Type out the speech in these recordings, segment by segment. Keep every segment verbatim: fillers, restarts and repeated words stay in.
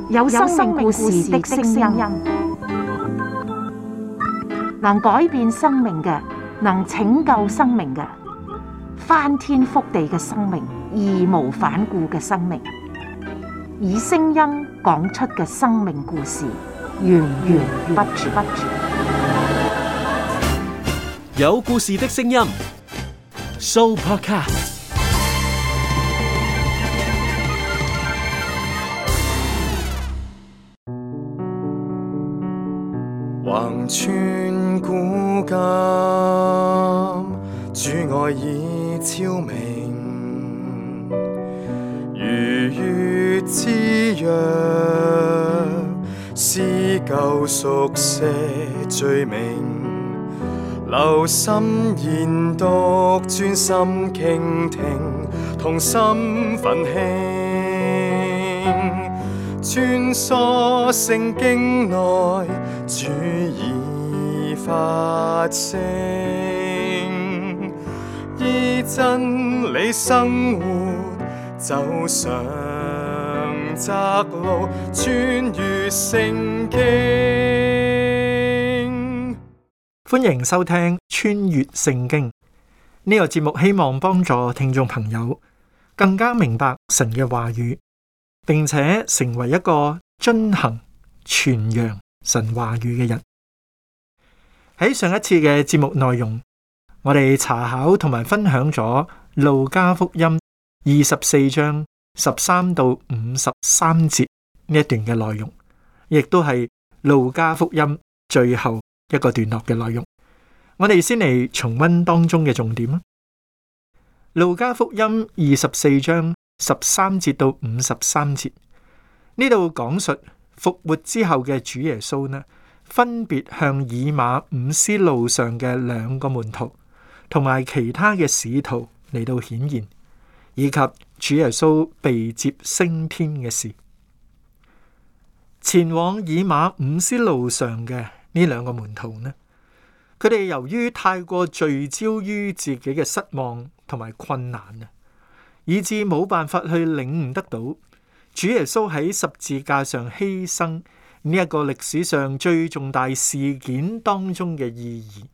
有生命故事的聲音，能改變生命嘅，能拯救生命嘅，翻天覆地嘅生命，義無反顧嘅生命，以聲音講出嘅生命故事，源源不絕。有故事的聲音 ，Sooo Podcast。橫穿古今，主愛已超明，如月之約，撕舊熟寫罪名，留心研讀，專心傾聽，同心奮興，穿梭聖經內，主已發聲，依真理生活，走上窄路，穿越聖經。歡迎收聽穿越聖經呢個節目，希望幫助聽眾朋友更加明白神嘅話語，並且成為一個遵行傳揚神話語嘅人。喺上一次嘅節目內容，我哋查考同埋分享咗路加福音二十四章十三到五十三節呢一段嘅內容，亦都係路加福音最後一個段落嘅內容。我哋先嚟重溫當中嘅重點。路加福音二十四章十三節到五十三節，呢度講述復活之後嘅主耶穌呢，分別向以馬忤斯路上嘅兩個門徒同埋其他嘅使徒嚟到顯現，以及主耶穌被接升天嘅事。前往以馬忤斯路上嘅呢兩個門徒呢，佢哋由於太過聚焦於自己嘅失望同埋困難啊，以致冇辦法去領悟得到主耶穌喺十字架上犧牲呢一個歷史上最重大事件當中嘅意義，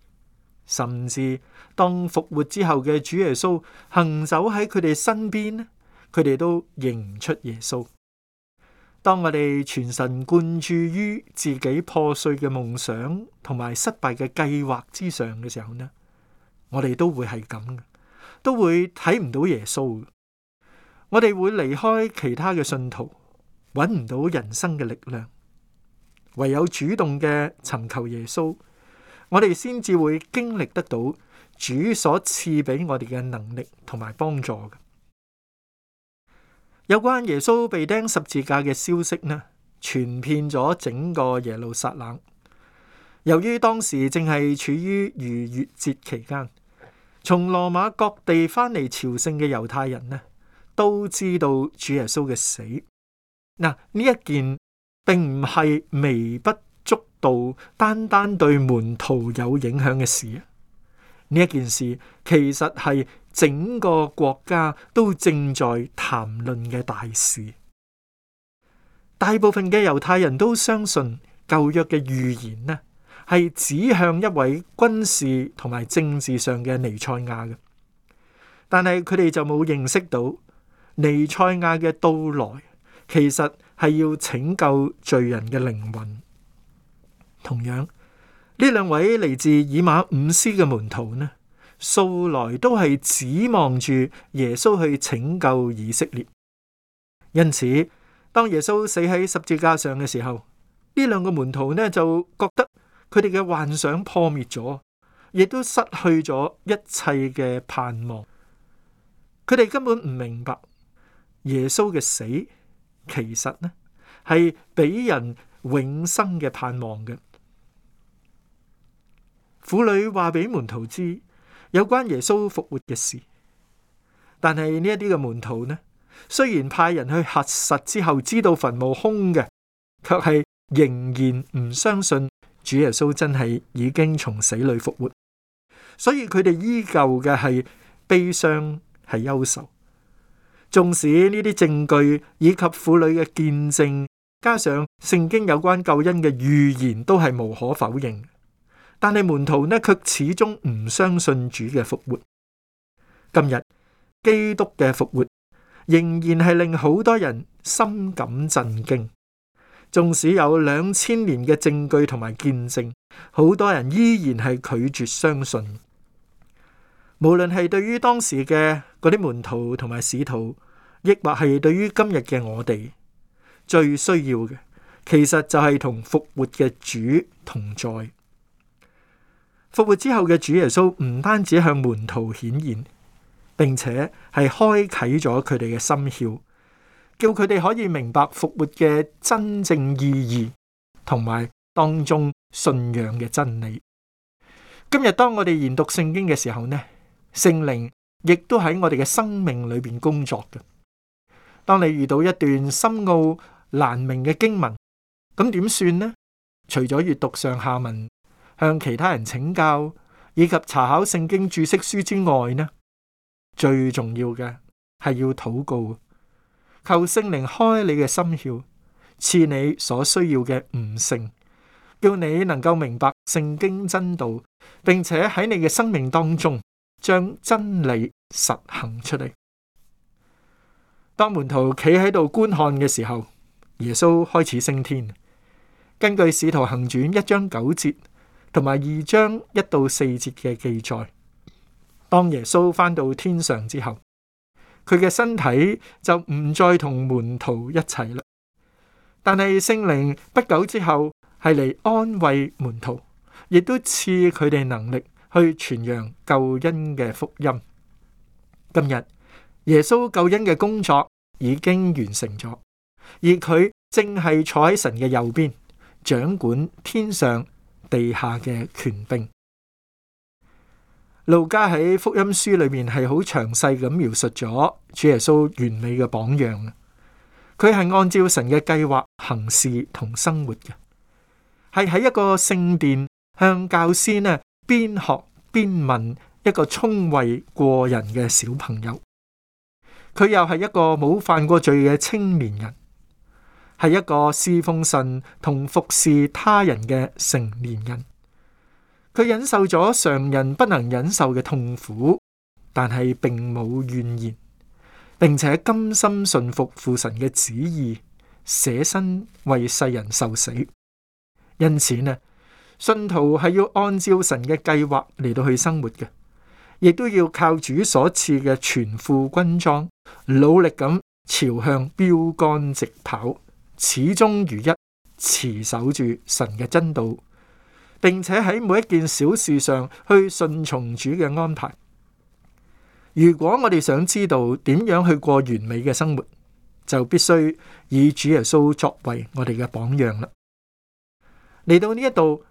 甚至當復活之後嘅主耶穌行走喺佢哋身邊，佢哋都認唔出耶穌。當我哋全神貫注於自己破碎嘅夢想同埋失敗嘅計劃之上嘅時候呢，我哋都會係咁嘅，都會睇唔到耶穌。我哋會離開其他嘅信徒，揾唔到人生嘅力量，唯有主動嘅尋求耶穌，我哋先至會經歷得到主所賜俾我哋嘅能力同埋幫助嘅。有關耶穌被釘十字架嘅消息呢，傳遍咗整個耶路撒冷。由於當時正係處於逾越節期間，從羅馬各地翻嚟朝聖嘅猶太人呢，都知道主耶穌嘅死。嗱，呢一件並唔係微不足道，單單對門徒有影響嘅事。呢一件事其實係整個國家都正在談論嘅大事。大部分嘅猶太人都相信舊約嘅預言呢，係指向一位軍事同埋政治上嘅彌賽亞嘅，但係佢哋就冇認識到彌賽亞嘅到來其實係要拯救罪人嘅靈魂。同樣，呢兩位嚟自以馬忤斯嘅門徒呢，素來都係指望住耶穌去拯救以色列。因此，當耶穌死喺十字架上嘅時候，呢兩個門徒呢就覺得佢哋嘅幻想破滅咗，亦都失去咗一切嘅盼望。佢哋根本唔明白耶穌嘅死其實呢係俾人永生嘅盼望嘅。婦女話俾門徒知有關耶穌復活嘅事，但係呢一啲嘅門徒呢，雖然派人去核實之後知道墳墓空嘅，卻係仍然唔相信主耶穌真係已經從死裏復活，所以佢哋依舊嘅係悲傷，係憂愁。縱使呢啲證據以及婦女嘅見證，加上聖經有關救恩嘅預言，都係無可否認。但係門徒呢，卻始終唔相信主嘅復活。今日基督嘅復活仍然係令好多人深感震驚。縱使有兩千年嘅證據同埋見證，好多人依然係拒絕相信。無論係對於當時嘅嗰啲門徒同埋使徒，亦或係對於今日嘅我哋，最需要嘅其實就係同復活嘅主同在。復活之後嘅主耶穌唔單止向門徒顯現，並且係開啟咗佢哋嘅心竅，叫佢哋可以明白復活嘅真正意義，同埋當中信仰嘅真理。今日當我哋研讀聖經嘅時候呢，聖靈亦都喺我哋嘅生命裏邊工作嘅。當你遇到一段深奧難明嘅經文，咁點算呢？除咗閱讀上下文，向其他人請教，以及查考聖經注釋書之外呢，最重要嘅係要禱告，求聖靈開你嘅心竅，賜你所需要嘅悟性，叫你能夠明白聖經真道，並且喺你嘅生命當中將真理實行出嚟。當門徒企喺度觀看嘅時候，耶穌開始升天。根據《使徒行傳》一章九節同埋二章一到四節嘅記載，當耶穌返到天上之後，佢嘅身體就唔再同門徒一齊啦。但係聖靈不久之後係嚟安慰門徒，亦都賜佢哋能力去傳揚救恩嘅福音。今日耶穌救恩嘅工作已經完成咗，而佢正係坐喺神嘅右邊，掌管天上地下嘅權柄。路加喺福音書裏面係好詳細咁描述咗主耶穌完美嘅榜樣。佢係按照神嘅計劃行事同生活嘅，係喺一個聖殿向教師呢邊學邊問一個聰慧過人嘅小朋友。佢又係一個冇犯過罪嘅青年人，係一個侍奉神同服侍他人嘅成年人。佢忍受咗常人不能忍受嘅痛苦，但係並冇怨言，並且甘心順服父神嘅旨意，捨身為世人受死。因此呢，信徒係要按照神嘅計劃嚟到去生活嘅，亦都要靠主所賜嘅全副軍裝，努力咁朝向標杆直跑，始終如一，持守住神嘅真道，並且喺每一件小事上去順從主嘅安排。如果我哋想知道點樣去過完美嘅生活，就必須以主耶穌作為我哋嘅榜樣啦。嚟到呢一度，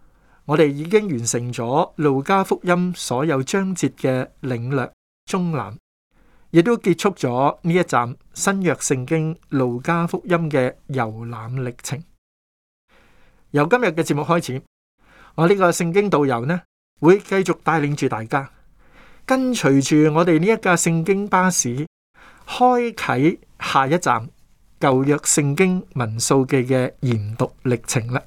我哋已經完成咗路加福音所有章節嘅領略中覽，亦都結束咗呢一站新約聖經路加福音嘅遊覽歷程。由今日嘅節目開始，我呢個聖經導遊呢會繼續帶領住大家跟隨住我哋呢一架聖經巴士，開啟下一站舊約聖經民數記嘅研讀歷程啦。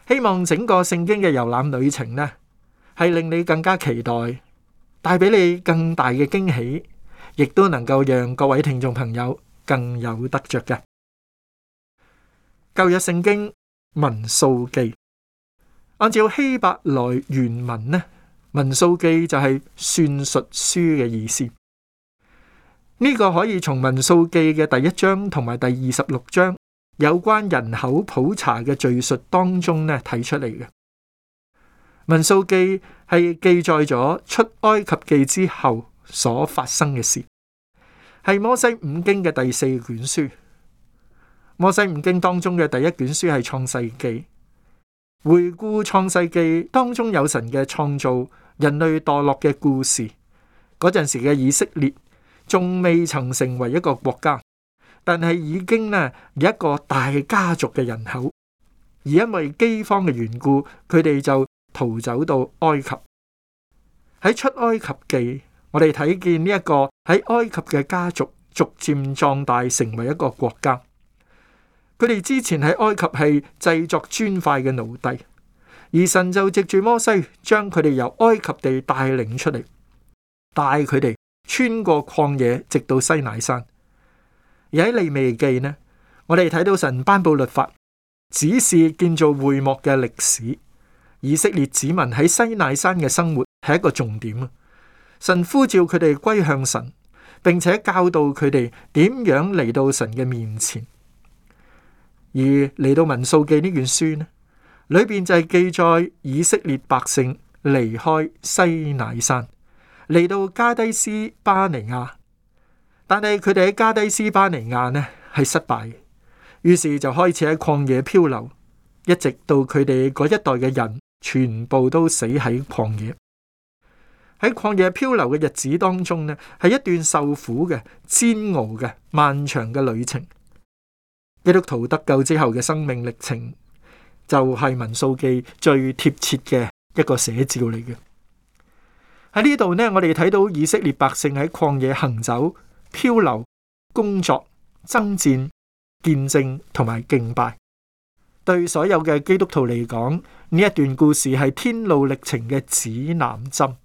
希望整個聖經嘅遊覽旅程呢，係令你更加期待，帶俾你更大嘅驚喜，亦都能夠讓各位聽眾朋友更有得着嘅。舊約聖經民數記，按照希伯來原文呢，民數記就係算術書嘅意思。呢、這個可以從民數記嘅第一章同埋第二十六章有關人口普查嘅敘述當中呢睇出嚟嘅。民數記係記載咗出埃及記之後所發生嘅事，係摩西五經嘅第四卷書。摩西五經當中嘅第一卷書係創世記，回顧創世記當中有神嘅創造、人類墮落嘅故事。嗰陣時嘅以色列仲未曾成為一個國家，但係已經呢有一個大家族嘅人口，而因為饑荒嘅緣故，佢哋就逃走到埃及。喺出埃及記，我哋睇見呢一個喺埃及嘅家族逐漸壯大，成為一個國家。佢哋之前喺埃及係製作磚塊嘅奴隸，而神就藉住摩西將佢哋由埃及地帶領出嚟，帶佢哋穿過曠野，直到西乃山。而喺利未記呢，我哋睇到神頒布律法，指示建造會幕嘅歷史。以色列子民喺西乃山嘅生活係一個重點啊！神呼召佢哋歸向神，並且教導佢哋點樣嚟到神嘅面前。而嚟到民數記呢卷書呢，裏邊就係記載以色列百姓離開西乃山，嚟到加低斯巴尼亞，但係佢哋喺加低斯巴尼亞呢係失敗，於是就開始喺曠野漂流，一直到佢哋嗰一代嘅人全部都死喺曠野。喺曠野漂流嘅日子當中呢，係一段受苦嘅、煎熬嘅、漫長嘅旅程。基督徒得救之後嘅生命歷程，就係民數記最貼切嘅一個寫照嚟嘅。喺呢度呢，我哋睇到以色列百姓喺曠野行走、漂流、工作、爭戰、見證同埋敬拜。對所有嘅基督徒嚟講，呢一段故事係天路歷程嘅指南針，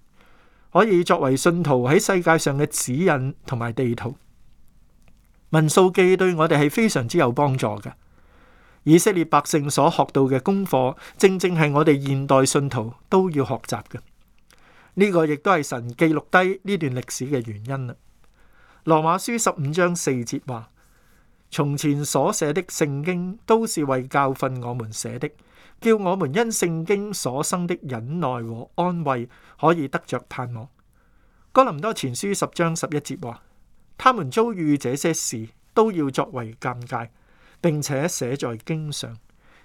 可以作為信徒喺世界上嘅指引同埋地圖。民數記對我哋係非常之有幫助嘅。以色列百姓所學到嘅功課，正正係我哋現代信徒都要學習嘅。呢個亦都係神記錄低呢段歷史嘅原因啦。羅馬書十五章四節話：從前所寫的聖經都是為教訓我們寫的，叫我們因聖經所生的忍耐和安慰，可以得着盼望。哥林多前書十章十一節話：他們遭遇這些事，都要作為鑑戒，並且寫在經上，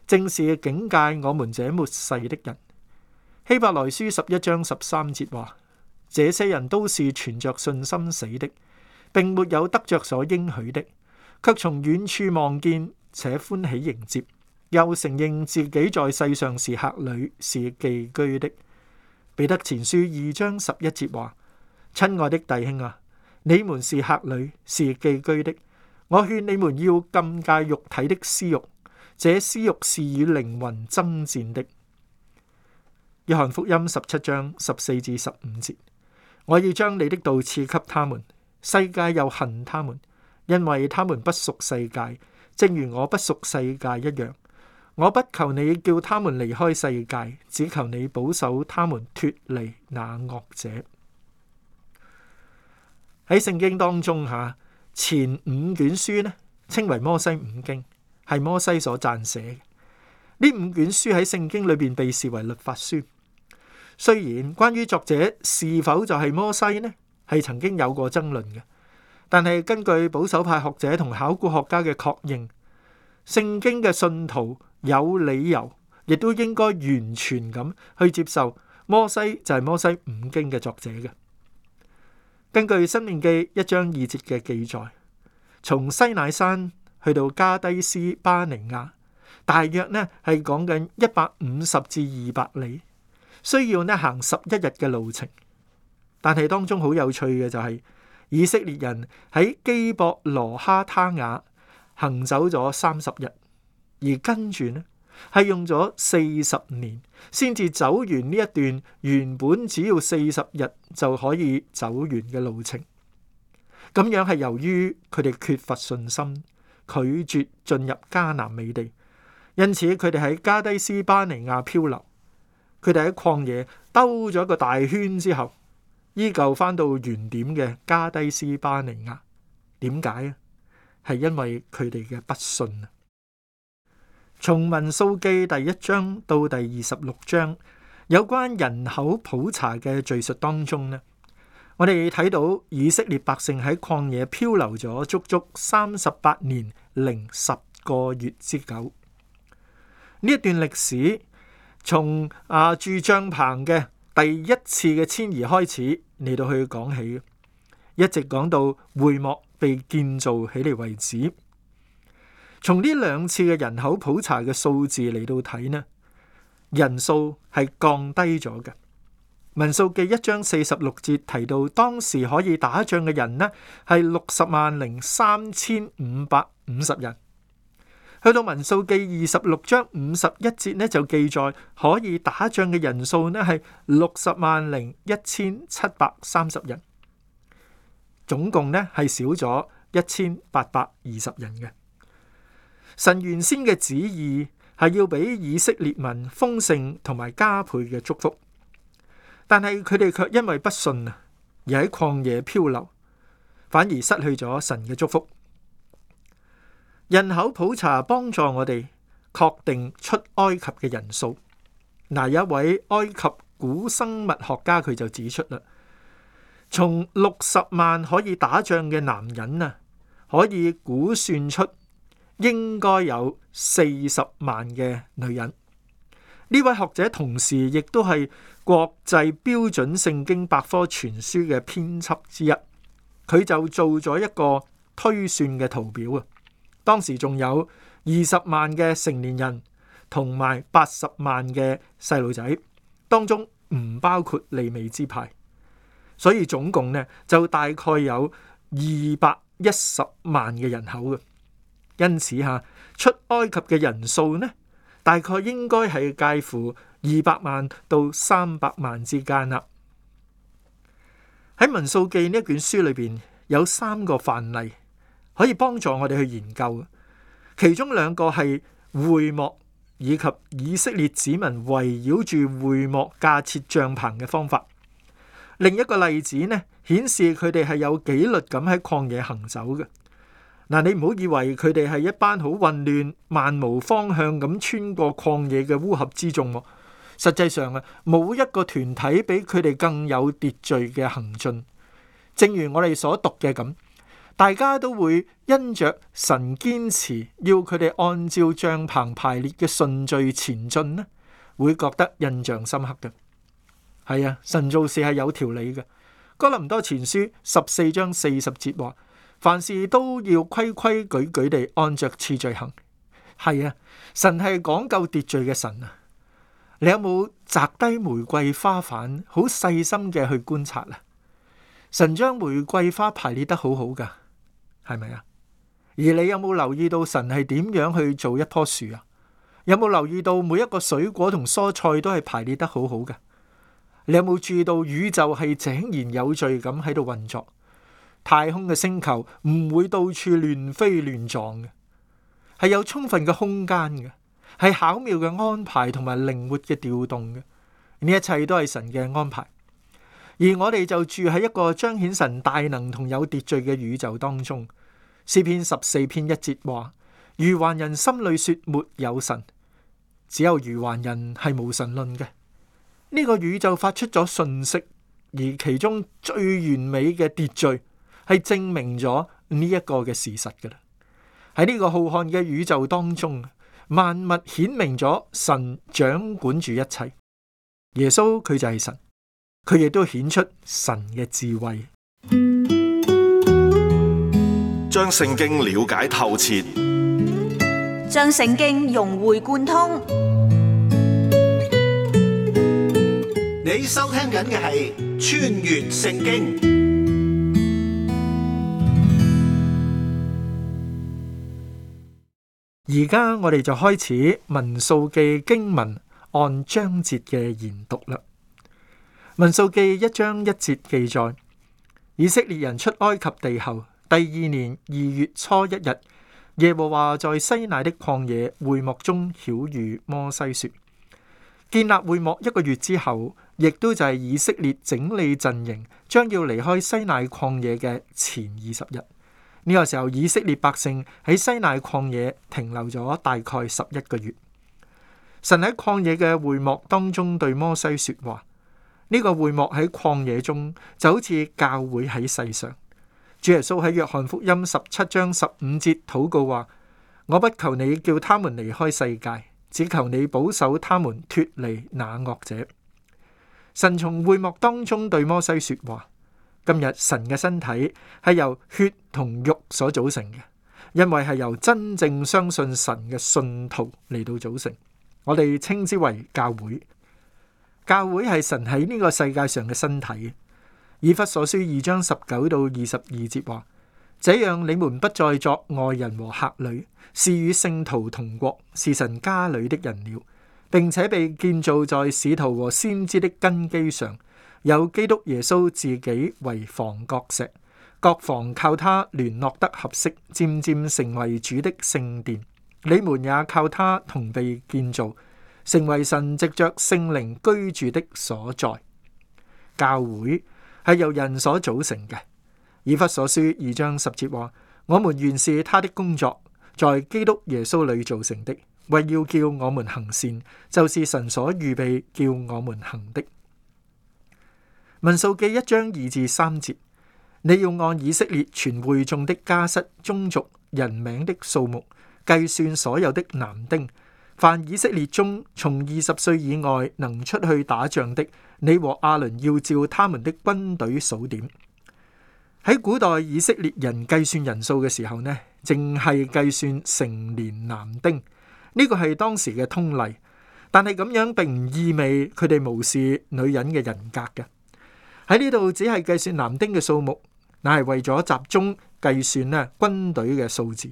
正是警戒我們這末世的人。希伯來書十一章十三節話：這些人都是存着信心死的，並沒有得着所應許的，卻從遠處望見，且歡喜迎接，又承認自己在世上是客旅，是寄居的。彼得前書二章十一節話：親愛的弟兄啊，你們是客旅，是寄居的，我勸你們要禁戒肉體的私欲，這私欲是與靈魂爭戰的。約翰福音十七章十四至十五節：我要將你的道賜給他們，世界又恨他們，因為他們不屬世界，正如我不屬世界一樣。我不求你叫他們離開世界，只求你保守他們脫離那惡者。喺聖經當中吓，前五卷書呢稱為摩西五經，係摩西所撰寫嘅。呢五卷書喺聖經裏邊被視為律法書。雖然關於作者是否就係摩西呢，係曾經有過爭論嘅，但係根據保守派學者同考古學家嘅確認，聖經嘅信徒有理由，亦都應該完全咁去接受摩西就係摩西五經嘅作者嘅。根據申命記一章二節嘅記載，從西乃山去到加低斯巴尼亞，大約呢係講緊一百五十至二百里。需要呢行十一日嘅路程，但係當中好有趣嘅就係、是、以色列人喺基博羅哈他雅行走咗三十日，而跟住呢係用咗四十年先至走完呢一段原本只要四十日就可以走完嘅路程。咁樣係由於佢哋缺乏信心，拒絕進入迦南美地，因此佢哋喺加低斯巴尼亞漂流。佢哋喺曠野兜咗一個大圈之後，依舊翻到原點嘅加低斯巴尼亞。點解啊？係因為佢哋嘅不信啊！從民數記第一章到第二十六章，有關人口普查嘅敘述當中呢，我哋睇到以色列百姓喺曠野漂流咗足足三十八年零十個月之久。呢一段歷史，從啊住帳篷嘅第一次嘅遷移開始嚟到去講起，一直講到會幕被建造起嚟為止。從呢兩次嘅人口普查嘅數字嚟到睇呢，人數係降低咗嘅。民數記一章四十六節提到，當時可以打仗嘅人呢係六十萬零三千五百五十人。去到民數記二十六章五十一節呢，就記載可以打仗嘅人數呢係六十萬零一千七百三十人，總共呢係少咗一千八百二十人嘅。神原先嘅旨意係要俾以色列民豐盛同埋加倍嘅祝福，但係佢哋卻因為不信啊，而喺曠野漂流，反而失去咗神嘅祝福。人口普查幫助我哋確定出埃及嘅人數。嗱，有一位埃及古生物學家佢就指出啦，從六十萬可以打仗嘅男人啊，可以估算出應該有四十萬嘅女人。呢位學者同時亦都係國際標準聖經百科全書嘅編輯之一，佢就做咗一個推算嘅圖表啊。當時仲有二十萬嘅成年人同埋八十萬嘅細路仔，當中唔包括利未支派，所以總共呢就大概有二百一十萬嘅人口嘅。因此吓，出埃及嘅人數呢，大概應該係介乎二百萬到三百萬之間啦。喺民數記呢一卷書裏邊有三個範例可以幫助我哋去研究，其中兩個係會幕以及以色列子民圍繞住會幕架設帳篷嘅方法。另一個例子呢，顯示佢哋係有紀律咁喺曠野行走嘅。嗱，你唔好以為佢哋係一班好混亂、漫無方向咁穿過曠野嘅烏合之眾。實際上啊，冇一個團體比佢哋更有秩序嘅行進。正如我哋所讀嘅咁，大家都會因着神堅持要佢哋按照帳篷排列嘅順序前進呢，會覺得印象深刻嘅。係啊，神做事係有條理嘅。哥林多前書十四章四十節話，凡事都要規規矩矩地按着次序行。係啊，神係講究秩序嘅神啊。你有冇摘低玫瑰花瓣，好細心嘅去觀察啊？神將玫瑰花排列得好好噶，係咪啊？而你有冇留意到神係點樣去做一棵樹啊？有冇留意到每一個水果同蔬菜都係排列得好好噶？你有冇注意到宇宙係井然有序咁喺度運作？太空嘅星球唔會到處亂飛亂撞嘅，係有充分嘅空間嘅，係巧妙嘅安排同埋靈活嘅調動嘅。呢一切都係神嘅安排，而我哋就住喺一個彰顯神大能同有秩序嘅宇宙當中。詩篇十四篇一節話：愚頑人心裏說沒有神，只有愚頑人係無神論嘅。呢個宇宙發出咗訊息，而其中最完美嘅秩序係證明咗呢一個嘅事實㗎啦。喺呢個浩瀚嘅宇宙當中，萬物顯明咗神掌管住一切。耶穌佢就係神，佢亦都顯出神嘅智慧。將聖經了解透徹，將聖經融會貫通。你收聽緊嘅係《穿越聖經》。而家我哋就開始民數記經文按章節嘅研讀啦。民數記一章一節記載，以色列人出埃及地後，第二年二月初一日，耶和華在西乃的曠野會幕中曉諭摩西說：建立會幕一個月之後，亦都就係以色列整理陣營，將要離開西乃曠野嘅前二十日。呢個時候，以色列百姓喺西乃曠野停留咗大概十一個月。神喺曠野嘅會幕當中對摩西說話。呢個會幕喺曠野中就好似教會喺世上。主耶穌喺約翰福音十七章十五節禱告話：我不求你叫他們離開世界，只求你保守他們脫離那惡者。神從會幕當中對摩西說話。今日神嘅身體係由血同肉所組成嘅，因為係由真正相信神嘅信徒嚟到組成，我哋稱之為教會。教會係神喺呢個世界上嘅身體。以弗所書二章十九到二十二節話：這樣你們不再作外人和客旅，是與聖徒同國，是神家裏的人了，並且被建造在使徒和先知的根基上，有基督耶穌自己為房角石，各房靠他聯絡得合適，漸漸成為主的聖殿。你們也靠他同被建造，成為神藉着聖靈居住的所在。教會係由人所組成嘅。以弗所書二章十節話：我們原是他的工作，在基督耶穌裏造成的，為要叫我們行善，就是神所預備叫我們行的。民數記一章二至三節：你要按以色列全會眾的家室、宗族、人名的數目計算所有的男丁，凡以色列中從二十歲以外能出去打仗的，你和亞倫要照他們的軍隊數點。喺古代以色列人計算人數嘅時候呢，淨係計算成年男丁，呢個係當時嘅通例。但係咁樣並唔意味佢哋無視女人嘅人格嘅。喺呢度只係計算男丁嘅數目，乃係為咗集中計算呢軍隊嘅數字。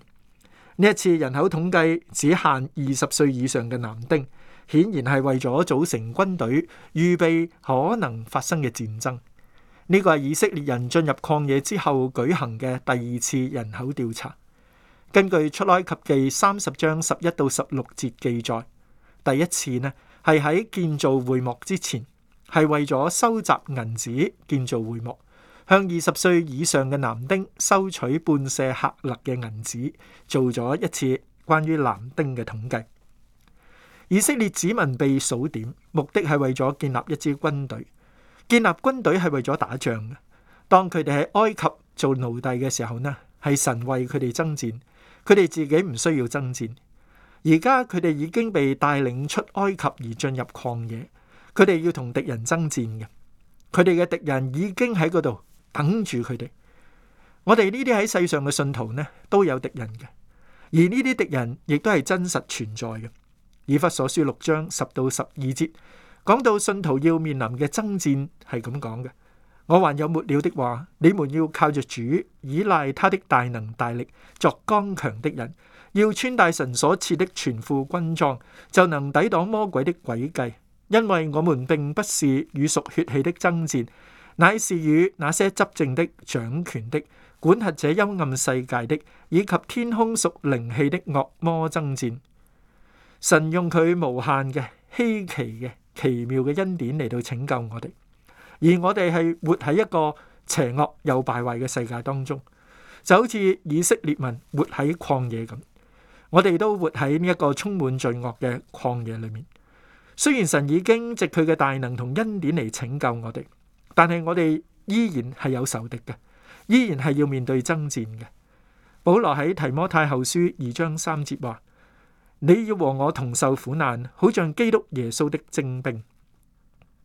呢一次人口統計只限二十歲以上嘅男丁，顯然係為咗組成軍隊，預備可能發生嘅戰爭。呢個係以色列人進入曠野之後舉行嘅第二次人口調查。根據出埃及記三十章十一到十六節記載，第一次呢係喺建造會幕之前，係為咗收集銀子建造會幕，向二十歲以上嘅男丁收取半舍客勒嘅銀子，做咗一次關於男丁嘅統計。以色列子民被數點，目的係為咗建立一支軍隊。建立軍隊係為咗打仗嘅。當佢哋喺埃及做奴隸嘅時候呢，係神為佢哋爭戰，佢哋自己唔需要爭戰。而家佢哋已經被帶領出埃及而進入曠野，佢哋要同敵人爭戰嘅。佢哋嘅敵人已經喺嗰度等住佢哋。我哋呢啲喺世上嘅信徒呢，都有敵人嘅，而呢啲敵人亦都係真實存在嘅。以弗所書六章十到十二節講到信徒要面臨嘅爭戰係咁講嘅：我還有末了的話，你們要靠着主，倚賴他的大能大力，作剛強的人，要穿戴神所賜的全副軍裝，就能抵擋魔鬼的詭計。因為我們並不是與屬血氣的爭戰，乃是與那些執政的、掌權的、管轄這幽暗世界的，以及天空屬靈氣的惡魔爭戰。神用佢無限嘅、稀奇嘅、奇妙嘅恩典嚟到拯救我哋，而我哋係活喺一個邪惡又敗壞嘅世界當中，就好似以色列民活喺曠野咁。我哋都活喺呢一個充滿罪惡嘅曠野裏面。雖然神已經藉佢嘅大能同恩典嚟拯救我哋，但係我哋依然係有仇敵嘅，依然係要面對爭戰嘅。保羅喺提摩太後書二章三節話：你要和我同受苦難，好像基督耶穌的精兵。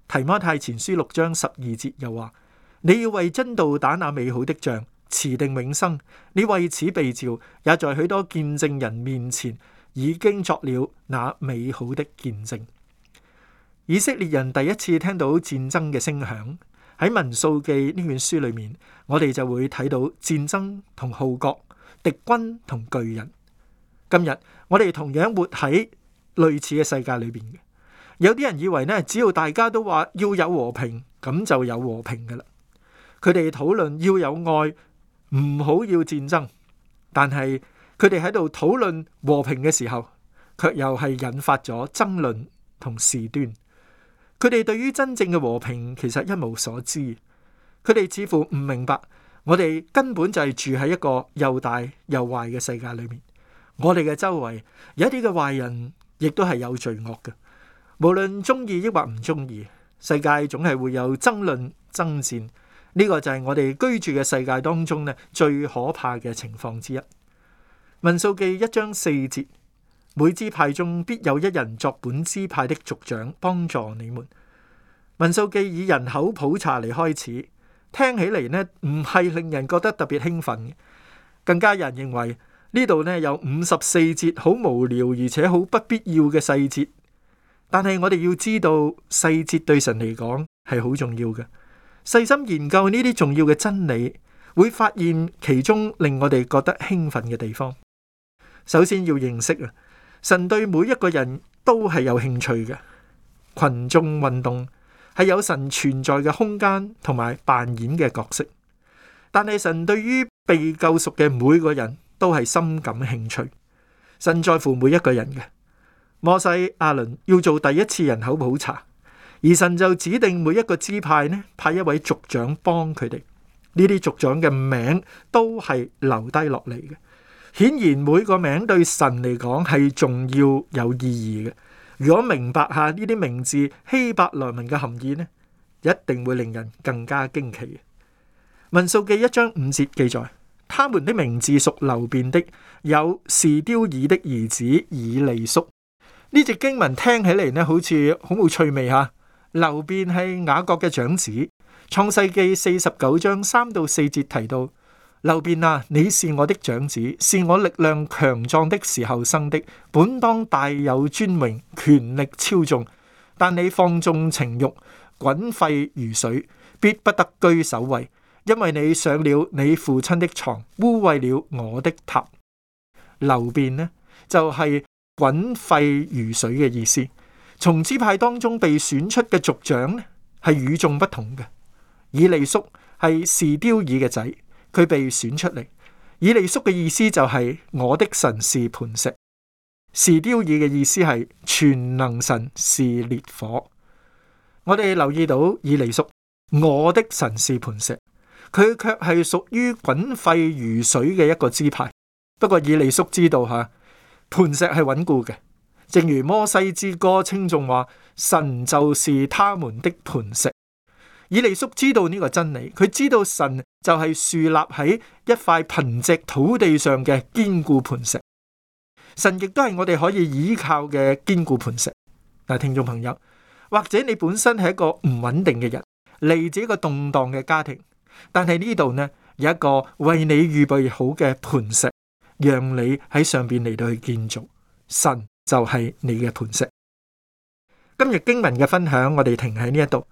提摩太前書六章十二節又話：你要為真道打那美好的仗，持定永生。你為此被召，也在許多見證人面前已經作了那美好的見證。以色列人第一次聽到戰爭嘅聲響，喺民數記呢卷書裏面，我哋就會睇到戰爭同號角、敵軍同巨人。今日我哋同樣活喺類似嘅世界裏邊嘅。有啲人以為呢，只要大家都話要有和平，咁就有和平噶啦。佢哋討論要有愛，唔好要戰爭。但係佢哋喺度討論和平嘅時候，卻又係引發咗爭論同事端。佢哋對於真正嘅和平其實一無所知，佢哋似乎唔明白，我哋根本就係住喺一個又大又壞嘅世界裏面。我哋嘅周圍有一啲嘅壞人，亦都係有罪惡嘅。無論中意抑或唔中意，世界總係會有爭論爭戰。呢個就係我哋居住嘅世界當中呢最可怕嘅情況之一。民數記一章四節。每支派中必有一人作本支派的族長，幫助你們。民數記以人口普查嚟開始，聽起嚟呢唔係令人覺得特別興奮，更加有人認為呢度呢有五十四節好無聊而且好不必要嘅細節。但係我哋要知道細節對神嚟講係好重要嘅。細心研究呢啲重要嘅真理，會發現其中令我哋覺得興奮嘅地方。首先要認識啊，神對每一個人都係有興趣嘅。群眾運動係有神存在嘅空間同埋扮演嘅角色，但係神對於被救贖嘅每個人都係深感興趣。神在乎每一個人嘅。摩西、亞倫要做第一次人口普查，而神就指定每一個支派呢，派一位族長幫佢哋。呢啲族長嘅名都係留低落嚟嘅。顯然每個名對神嚟講係重要有意義嘅。如果明白下呢啲名字希伯來文嘅含義呢，一定會令人更加驚奇。民數記一章五節記載，他們的名字屬流便的，有示丟爾的兒子以利叔。呢隻經文聽起嚟呢，好似好冇趣味吓。流便係雅各嘅長子。創世記四十九章三到四節提到，流便啊，你是我的長子，是我力量強壯的時候生的，本當大有尊榮，權力超眾。但你放縱情欲，滾沸如水，必不得居首位，因為你上了你父親的床，污穢了我的榻。流便呢，就係滾沸如水嘅意思。從支派當中被選出嘅族長呢，係與眾不同嘅。以利叔係示丟爾嘅仔，佢被選出嚟。以利叔嘅意思就係我的神是磐石，示丟爾嘅意思係全能神是烈火。我哋留意到以利叔，我的神是磐石，佢卻係屬於滾沸如水嘅一個支派。不過以利叔知道吓，磐石係穩固嘅，正如摩西之歌稱頌話，神就是他們的磐石。以利叔知道呢個真理，佢知道神就係樹立喺一塊貧瘠土地上嘅堅固磐石。神亦都係我哋可以依靠嘅堅固磐石。嗱，聽眾朋友，或者你本身係一個唔穩定嘅人，嚟自一個動盪嘅家庭，但係呢度呢，有一個為你預備好嘅磐石，讓你喺上邊嚟到去建造。神就係你嘅磐石。今日經文嘅分享，我哋停喺呢一度。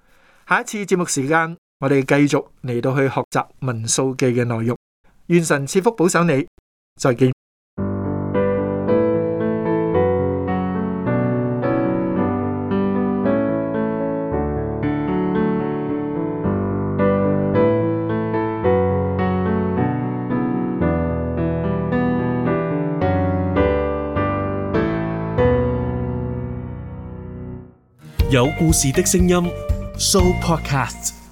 下一次節目時間，我哋繼續嚟到去學習民數記嘅內容。願神賜福保守你，再見。有故事的聲音 Show Podcast。